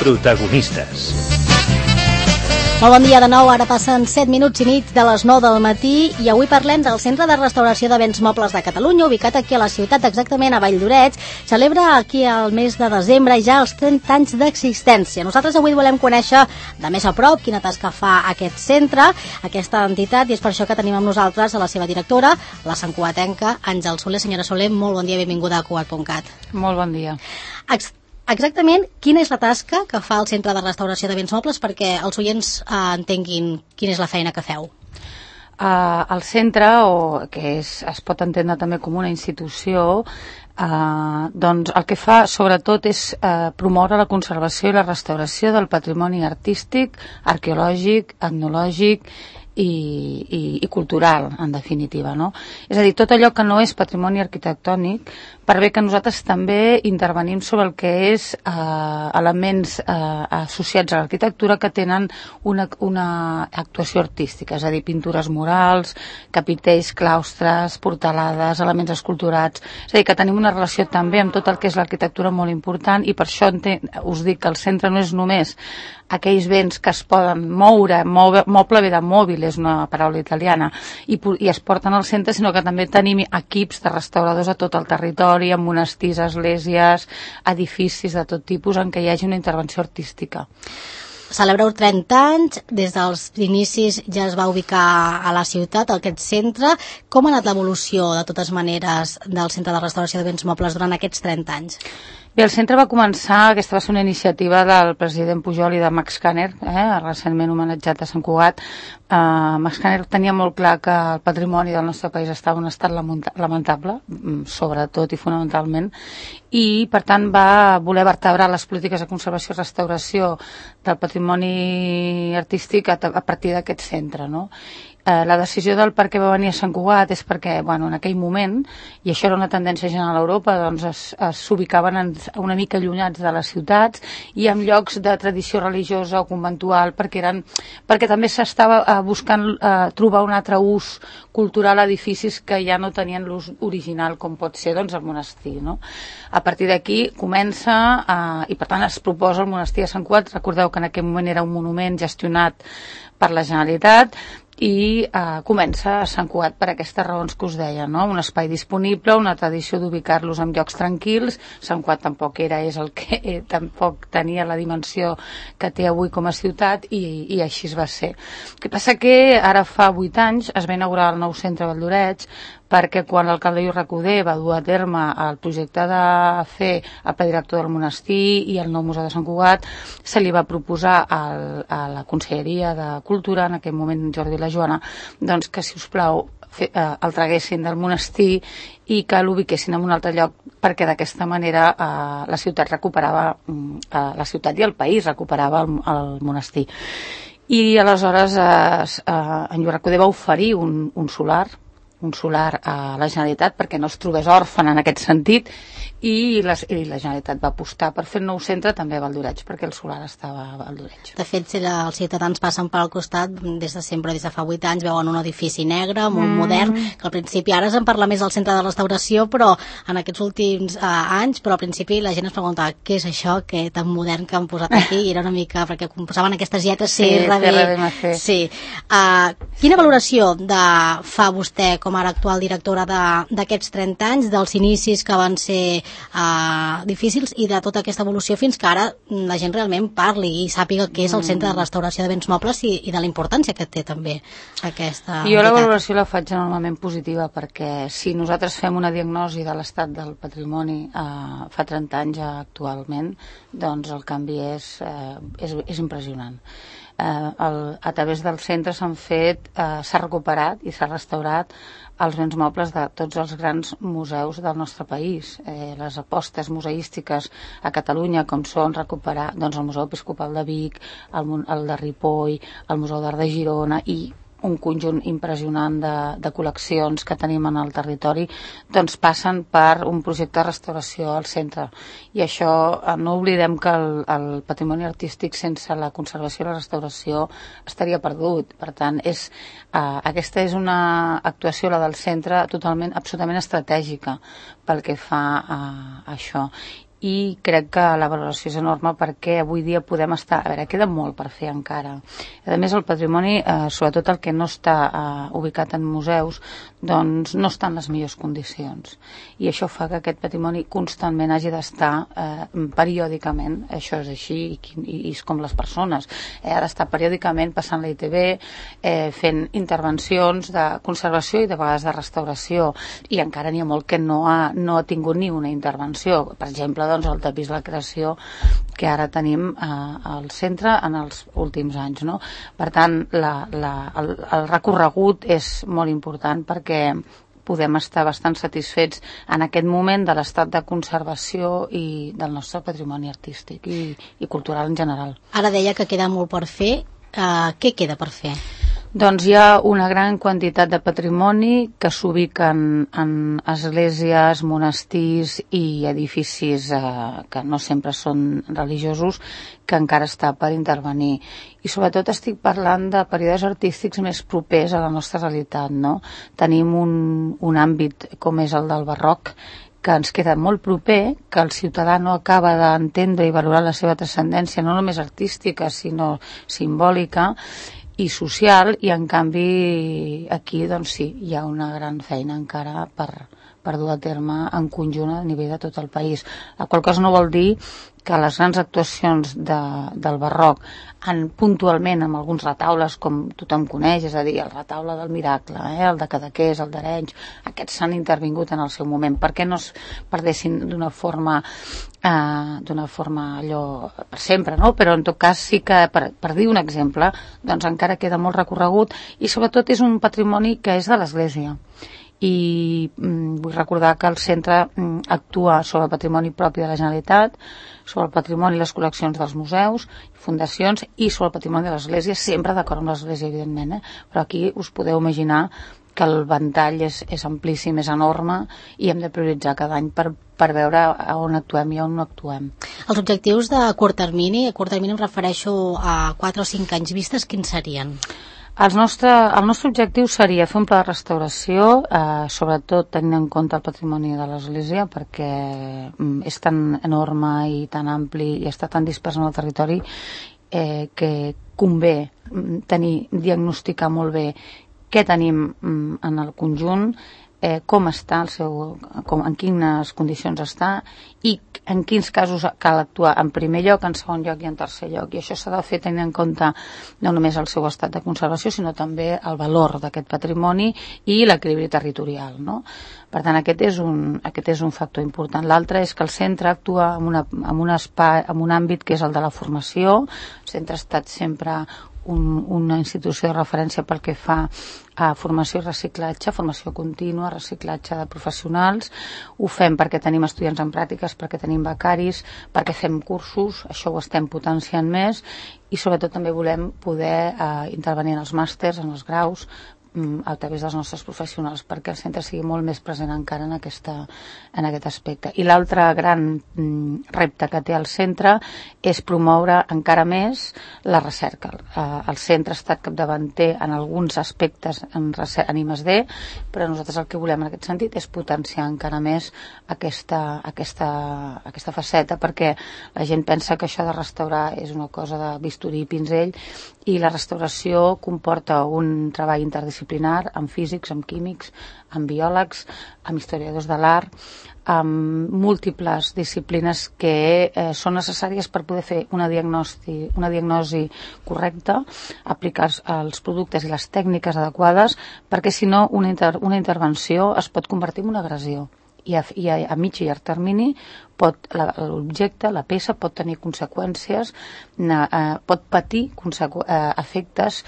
Protagonistes. Molt bon dia de nou, ara passen 7 minuts i mig de les 9 del matí i avui parlem del Centre de Restauració de Béns Mobles de Catalunya, ubicat aquí a la ciutat, exactament a Valldoreix. Celebra aquí al mes de desembre ja els 30 anys d'existència. Nosaltres avui volem conèixer de més a prop quina tasca fa aquest centre, aquesta entitat, i és per això que tenim amb nosaltres a la seva directora, la santcugatenca Àngel Soler. Senyora Soler, molt bon dia i benvinguda a Cugat.cat. Molt bon dia. Exactament, quina és la tasca que fa el Centre de Restauració de Béns Mobles perquè els oients entenguin quina és la feina que feu? El centre, que es pot entendre també com una institució, doncs el que fa sobretot és promoure la conservació i la restauració del patrimoni artístic, arqueològic, etnològic i cultural, en definitiva, no? És a dir, tot allò que no és patrimoni arquitectònic, per bé que nosaltres també intervenim sobre el que és elements associats a l'arquitectura que tenen una actuació artística, és a dir, pintures murals, capitells, claustres, portalades, elements esculturats, és a dir, que tenim una relació també amb tot el que és l'arquitectura molt important, i per això us dic que el centre no és només aquells béns que es poden moure, moble ve de mòbil, és una paraula italiana, i es porten al centre, sinó que també tenim equips de restauradors a tot el territori, en monestirs, esglésies, edificis de tot tipus en què hi hagi una intervenció artística. Celebreu 30 anys, des dels inicis ja es va ubicar a la ciutat, aquest centre. Com ha anat l'evolució, de totes maneres, del Centre de Restauració de Béns Mobles durant aquests 30 anys? Bé, el centre va començar, aquesta va ser una iniciativa del president Pujol i de Max Kanner, recentment homenatjat a Sant Cugat. Max Kanner tenia molt clar que el patrimoni del nostre país estava en un estat lamentable, sobretot i fonamentalment, i per tant va voler vertebrar les polítiques de conservació i restauració del patrimoni artístic a partir d'aquest centre, no? La decisió del per què va venir a Sant Cugat és perquè, en aquell moment, i això era una tendència general a Europa, doncs s'ubicaven una mica allunyats de les ciutats i en llocs de tradició religiosa o conventual, perquè també s'estava buscant trobar un altre ús cultural a edificis que ja no tenien l'ús original, com pot ser el monestir, no? A partir d'aquí comença, i per tant es proposa el monestir de Sant Cugat. Recordeu que en aquell moment era un monument gestionat per la Generalitat, i comença a Sant Cugat per aquestes raons que us deia, no? Un espai disponible, una tradició d'ubicar-los en llocs tranquils. Sant Cugat tampoc és el que tampoc tenia la dimensió que té avui com a ciutat, i així es va ser. El que passa que ara fa 8 anys es va inaugurar el nou centre de Valldoreix, perquè quan l'alcalde Lluís Recoder va dur a terme el projecte de fer el pla director del monestir i el nou museu de Sant Cugat, se li va proposar a la Conselleria de Cultura, en aquell moment Jordi i la Joana, doncs que, si us plau, el traguessin del monestir i que l'ubiquessin en un altre lloc, perquè d'aquesta manera la ciutat recuperava, la ciutat i el país recuperava el monestir. I aleshores en Lluís Recoder va oferir un solar a la Generalitat perquè no es trobés òrfan en aquest sentit, i la Generalitat va apostar per fer el nou centre també a Valldoreix, perquè el solar estava a Valldoreix. De fet, si els ciutadans passen per al costat, des de sempre, des de fa 8 anys, veuen un edifici negre, molt modern, que al principi, ara se'n parla més del centre de restauració, però en aquests últims anys, però al principi la gent es preguntava què és això, que tan modern que han posat aquí, i era una mica, perquè posaven aquestes lletres CRB. Sí. Quina valoració fa vostè com ara actual directora d'aquests 30 anys, dels inicis que van ser difícils i de tota aquesta evolució fins que ara la gent realment parli i sàpiga què és el Centre de Restauració de Béns Mobles i de la importància que té també aquesta entitat? Jo la valoració la faig enormement positiva, perquè si nosaltres fem una diagnosi de l'estat del patrimoni fa 30 anys actualment, doncs el canvi és impressionant. A través del centre s'ha recuperat i s'ha restaurat els béns mobles de tots els grans museus del nostre país. Les apostes museístiques a Catalunya, com són recuperar el Museu Episcopal de Vic, el de Ripoll, el Museu d'Art de Girona i un conjunt impressionant de col·leccions que tenim en el territori, doncs passen per un projecte de restauració al centre. I això, no oblidem que el patrimoni artístic sense la conservació i la restauració estaria perdut. Per tant, aquesta és una actuació, la del centre, absolutament estratègica pel que fa a això. i crec que la valoració és enorme perquè avui dia podem estar... A veure, queda molt per fer encara. A més, el patrimoni, sobretot el que no està ubicat en museus, doncs no està en les millors condicions. I això fa que aquest patrimoni constantment hagi d'estar periòdicament, això és així, i és com les persones, ha d'estar periòdicament passant la ITV, fent intervencions de conservació i de vegades de restauració, i encara n'hi ha molt que no ha tingut ni una intervenció. Per exemple, doncs, el tapís La Creació que ara tenim al centre en els últims anys, no? Per tant, el recorregut és molt important perquè podem estar bastant satisfets en aquest moment de l'estat de conservació i del nostre patrimoni artístic i cultural en general. Ara deia que queda molt per fer. Què queda per fer? Doncs hi ha una gran quantitat de patrimoni que s'ubiquen en esglésies, monestirs i edificis que no sempre són religiosos, que encara està per intervenir. I sobretot estic parlant de períodes artístics més propers a la nostra realitat, no? Tenim un àmbit com és el del barroc, que ens queda molt proper, que el ciutadà no acaba d'entendre i valorar la seva transcendència, no només artística, sinó simbòlica i social, i en canvi aquí doncs sí, hi ha una gran feina encara per dur a terme en conjunt a nivell de tot el país. La qual cosa no vol dir que les grans actuacions del barroc puntualment amb alguns retaules com tothom coneix, és a dir, el retaule del Miracle, el de Cadaqués, el d'Arenys, aquests s'han intervingut en el seu moment, perquè no es perdessin d'una forma allò per sempre, no? Però en tot cas sí que, per dir un exemple, doncs encara queda molt recorregut i sobretot és un patrimoni que és de l'Església. I vull recordar que el centre actua sobre el patrimoni propi de la Generalitat, sobre el patrimoni i les col·leccions dels museus, fundacions i sobre el patrimoni de l'Església, sempre d'acord amb l'Església, evidentment, però aquí us podeu imaginar que el ventall és amplíssim, és enorme i hem de prioritzar cada any per veure on actuem i on no actuem. Els objectius de curt termini em refereixo a 4 o 5 anys vistes, quins serien? El nostre objectiu seria fer un pla de restauració, sobretot tenint en compte el patrimoni de l'Església, perquè és tan enorme i tan ampli i està tan dispers en el territori que convé diagnosticar molt bé què tenim en el conjunt, com està en quines condicions està i en quins casos cal actuar en primer lloc, en segon lloc i en tercer lloc. I això s'ha de fer tenint en compte no només el seu estat de conservació, sinó també el valor d'aquest patrimoni i l'equilibri territorial, no? Per tant, aquest és un factor important. L'altre és que el centre actua en un àmbit que és el de la formació. El centre ha estat sempre una institució de referència pel que fa a formació i reciclatge, formació contínua, reciclatge de professionals. Ho fem perquè tenim estudiants en pràctiques, perquè tenim becaris, perquè fem cursos, això ho estem potenciant més i sobretot també volem poder intervenir en els màsters, en els graus, a través dels nostres professionals, perquè el centre sigui molt més present encara en aquest aspecte. I l'altre gran repte que té el centre és promoure encara més la recerca. El centre ha estat capdavanter en alguns aspectes en I+D, però nosaltres el que volem en aquest sentit és potenciar encara més aquesta faceta, perquè la gent pensa que això de restaurar és una cosa de bisturí i pinzell, i la restauració comporta un treball interdisciplinar amb físics, amb químics, amb biòlegs, amb historiadors de l'art, amb múltiples disciplines que són necessàries per poder fer una diagnosi correcta, aplicar els productes i les tècniques adequades, perquè si no una intervenció es pot convertir en una agressió. I a mig i llarg termini l'objecte, la peça, pot tenir conseqüències, pot patir efectes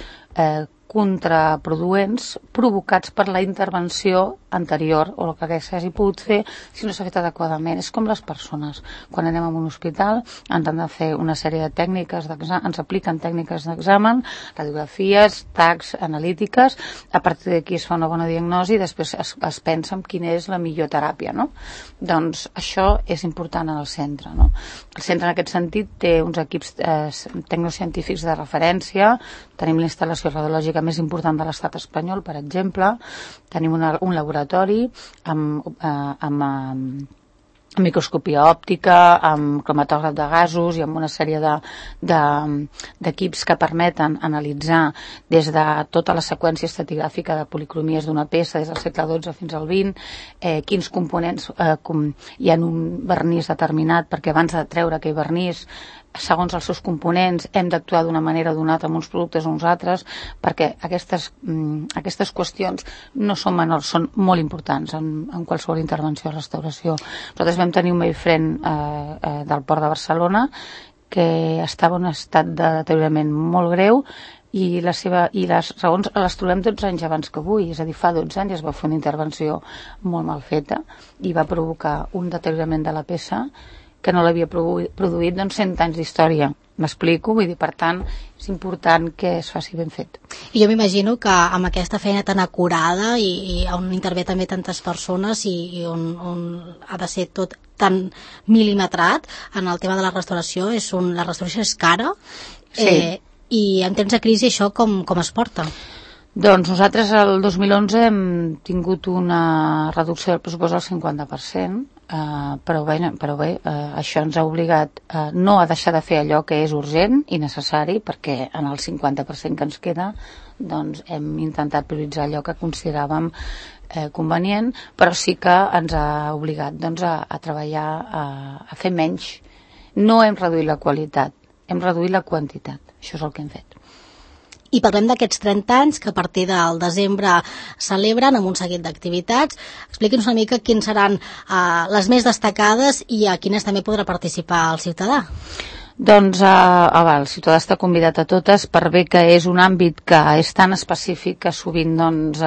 contraproduents provocats per la intervenció anterior o el que s'hagi pogut fer si no s'ha fet adequadament. És com les persones. Quan anem a un hospital ens han de fer una sèrie de tècniques d'examen, ens apliquen tècniques d'examen, radiografies, tacs, analítiques, a partir d'aquí es fa una bona diagnosi i després es pensa en quina és la millor teràpia, no? Doncs això és important en el centre, no? El centre en aquest sentit té uns equips tecnocientífics de referència, tenim la instal·lació radiològica més important de l'estat espanyol, per exemple, tenim un laboratori amb microscòpia òptica, amb cromatògraf de gasos i amb una sèrie d'equips que permeten analitzar des de tota la seqüència estratigràfica de policromies d'una peça des del segle XII fins al XX, quins components hi ha en un vernís determinat, perquè abans de treure aquell vernís, segons els seus components, hem d'actuar d'una manera o d'una altra amb uns productes o uns altres, perquè aquestes qüestions no són menors, són molt importants en qualsevol intervenció de restauració. Nosaltres vam tenir un mainframe del Port de Barcelona que estava en un estat de deteriorament molt greu i les raons les trobem 12 anys abans que avui, és a dir, fa 12 anys es va fer una intervenció molt mal feta i va provocar un deteriorament de la peça que no l'havia produït 100 anys d'història. M'explico? Vull dir, per tant, és important que es faci ben fet. I jo m'imagino que amb aquesta feina tan acurada i on intervé també tantes persones i on ha de ser tot tan mil·limetrat en el tema de la restauració, la restauració és cara, sí. I en temps de crisi això com es porta? Doncs nosaltres el 2011 hem tingut una reducció del pressupost del 50%, però bé, això ens ha obligat no a deixar de fer allò que és urgent i necessari, perquè en el 50% que ens queda doncs hem intentat prioritzar allò que consideràvem convenient, però sí que ens ha obligat doncs, a treballar, a fer menys. No hem reduït la qualitat, hem reduït la quantitat. Això és el que hem fet. I parlem d'aquests 30 anys que a partir del desembre celebren amb un seguit d'activitats. Expliqui'ns una mica quines seran les més destacades i a quines també podrà participar el ciutadà. Doncs el ciutadà està convidat a totes per bé que és un àmbit que és tan específic que sovint doncs,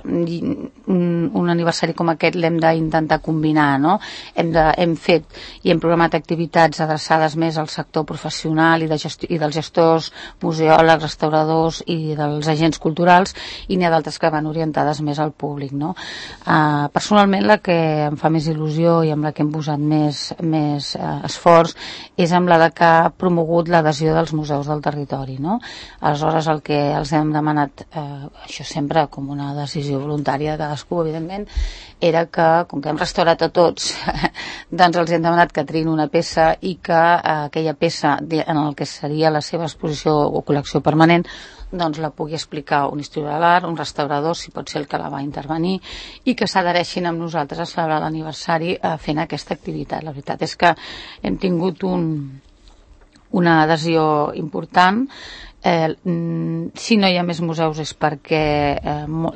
un aniversari com aquest l'hem d'intentar combinar, no? Hem fet i hem programat activitats adreçades més al sector professional i dels gestors, museòlegs, restauradors i dels agents culturals, i n'hi ha d'altres que van orientades més al públic, no? Personalment la que em fa més il·lusió i amb la que hem posat més esforç és amb la de que ha promogut l'adhesió dels museus del territori, no? Aleshores el que els hem demanat, això sempre com una decisió voluntària de cadascú, evidentment, era que, com que hem restaurat a tots, doncs els hem demanat que triïn una peça i que aquella peça en el que seria la seva exposició o col·lecció permanent doncs la pugui explicar un historiador de l'art, un restaurador, si pot ser el que la va intervenir, i que s'adhereixin amb nosaltres a celebrar l'aniversari fent aquesta activitat. La veritat és que hem tingut una adhesió important. Si no hi ha més museus és perquè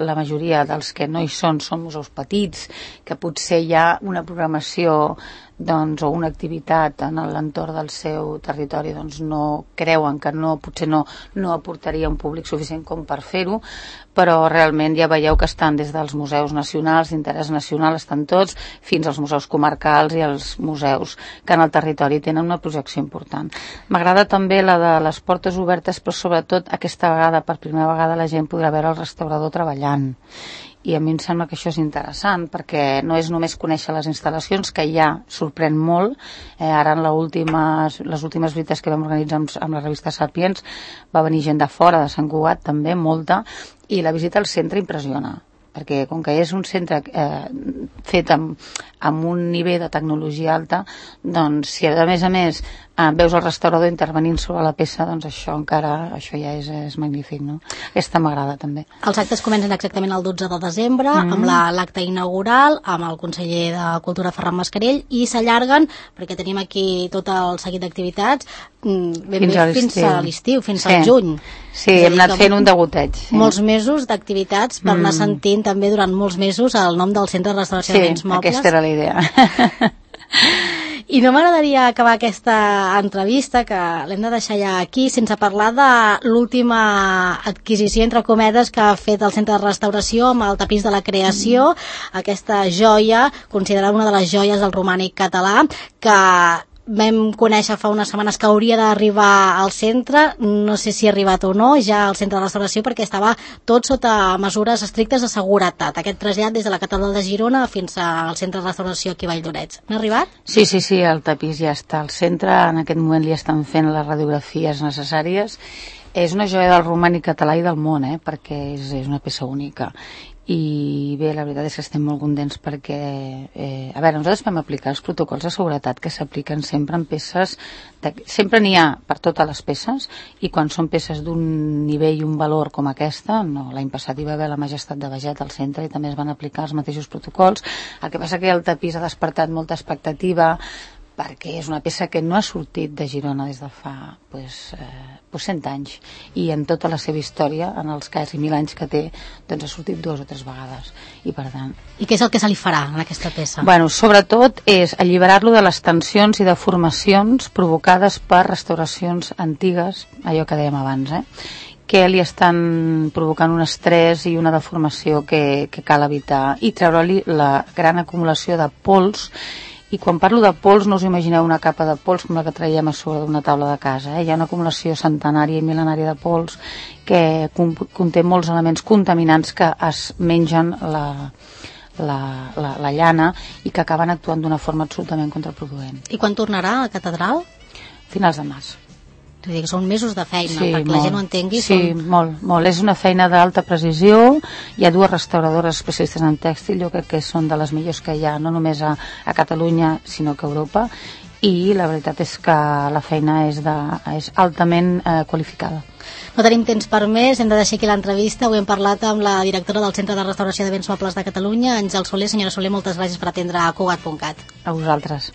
la majoria dels que no hi són museus petits, que potser hi ha una programació o una activitat en l'entorn del seu territori, doncs no creuen que potser no aportaria un públic suficient com per fer-ho, però realment ja veieu que estan des dels museus nacionals, d'interès nacional, estan tots, fins als museus comarcals i als museus que en el territori tenen una projecció important. M'agrada també la de les portes obertes, però sobretot aquesta vegada, per primera vegada, la gent podrà veure el restaurador treballant. I a mi em sembla que això és interessant, perquè no és només conèixer les instal·lacions, que ja sorprèn molt. Ara en les últimes visites que vam organitzar amb la revista Sapiens va venir gent de fora, de Sant Cugat també, molta, i la visita al centre impressiona, perquè com que és un centre fet amb un nivell de tecnologia alta, doncs si a més veus el restaurador intervenint sobre la peça, doncs això ja és magnífic, no? Aquesta m'agrada també. Els actes comencen exactament el 12 de desembre amb l'acte inaugural amb el conseller de Cultura Ferran Mascarell i s'allarguen, perquè tenim aquí tot el seguit d'activitats fins a l'estiu, fins al juny. Sí, hem anat fent un degoteig. Molts mesos d'activitats per anar sentint també durant molts mesos el nom del Centre de Restauració de Béns Mobles. Sí, aquesta era la idea. I no m'agradaria acabar aquesta entrevista, que l'hem de deixar ja aquí, sense parlar de l'última adquisició, entre cometes, que ha fet el Centre de Restauració amb el tapís de la creació, aquesta joia, considerada una de les joies del romànic català, que vam conèixer fa unes setmanes que hauria d'arribar al centre, no sé si ha arribat o no ja al centre de restauració, perquè estava tot sota mesures estrictes de seguretat, aquest trasllat des de la catedral de Girona fins al centre de restauració aquí a Valldoreix. N'ha arribat? Sí, el tapís ja està al centre, en aquest moment li estan fent les radiografies necessàries. És una joia del romànic català i del món, perquè és una peça única. I bé, la veritat és que estem molt contents perquè, a veure, nosaltres vam aplicar els protocols de seguretat que s'apliquen sempre en peces, sempre n'hi ha per totes les peces, i quan són peces d'un nivell i un valor com aquesta, no, l'any passat hi va haver la Majestat de Beget al centre i també es van aplicar els mateixos protocols. El que passa que el tapís ha despertat molta expectativa, perquè és una peça que no ha sortit de Girona des de fa 100 anys, i en tota la seva història, en els quasi 1.000 anys que té, doncs ha sortit 2 o 3 vegades, i per tant... I què és el que se li farà en aquesta peça? Bueno, sobretot és alliberar-lo de les tensions i deformacions provocades per restauracions antigues, allò que dèiem abans, que li estan provocant un estrès i una deformació que cal evitar, i treure-li la gran acumulació de pols. I quan parlo de pols, no us imagineu una capa de pols com la que traiem a sobre d'una taula de casa. Hi ha una acumulació centenària i mil·lenària de pols que conté molts elements contaminants que es mengen la llana i que acaben actuant d'una forma absolutament contraproduent. I quan tornarà a la catedral? Finals de març. Vull dir que són mesos de feina, sí, perquè la gent ho entengui. Sí, molt. És una feina d'alta precisió. Hi ha 2 restauradores especialistes en tèxtil, jo crec que són de les millors que hi ha, no només a Catalunya, sinó que a Europa, i la veritat és que la feina és altament qualificada. No tenim temps per més, hem de deixar aquí l'entrevista. Avui hem parlat amb la directora del Centre de Restauració de Béns Mobles de Catalunya, Àngel Soler. Senyora Soler, moltes gràcies per atendre a Cugat.cat. A vosaltres.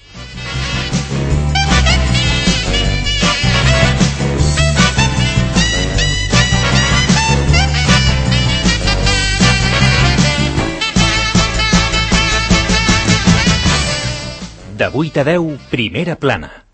De 8 a 10, Primera Plana.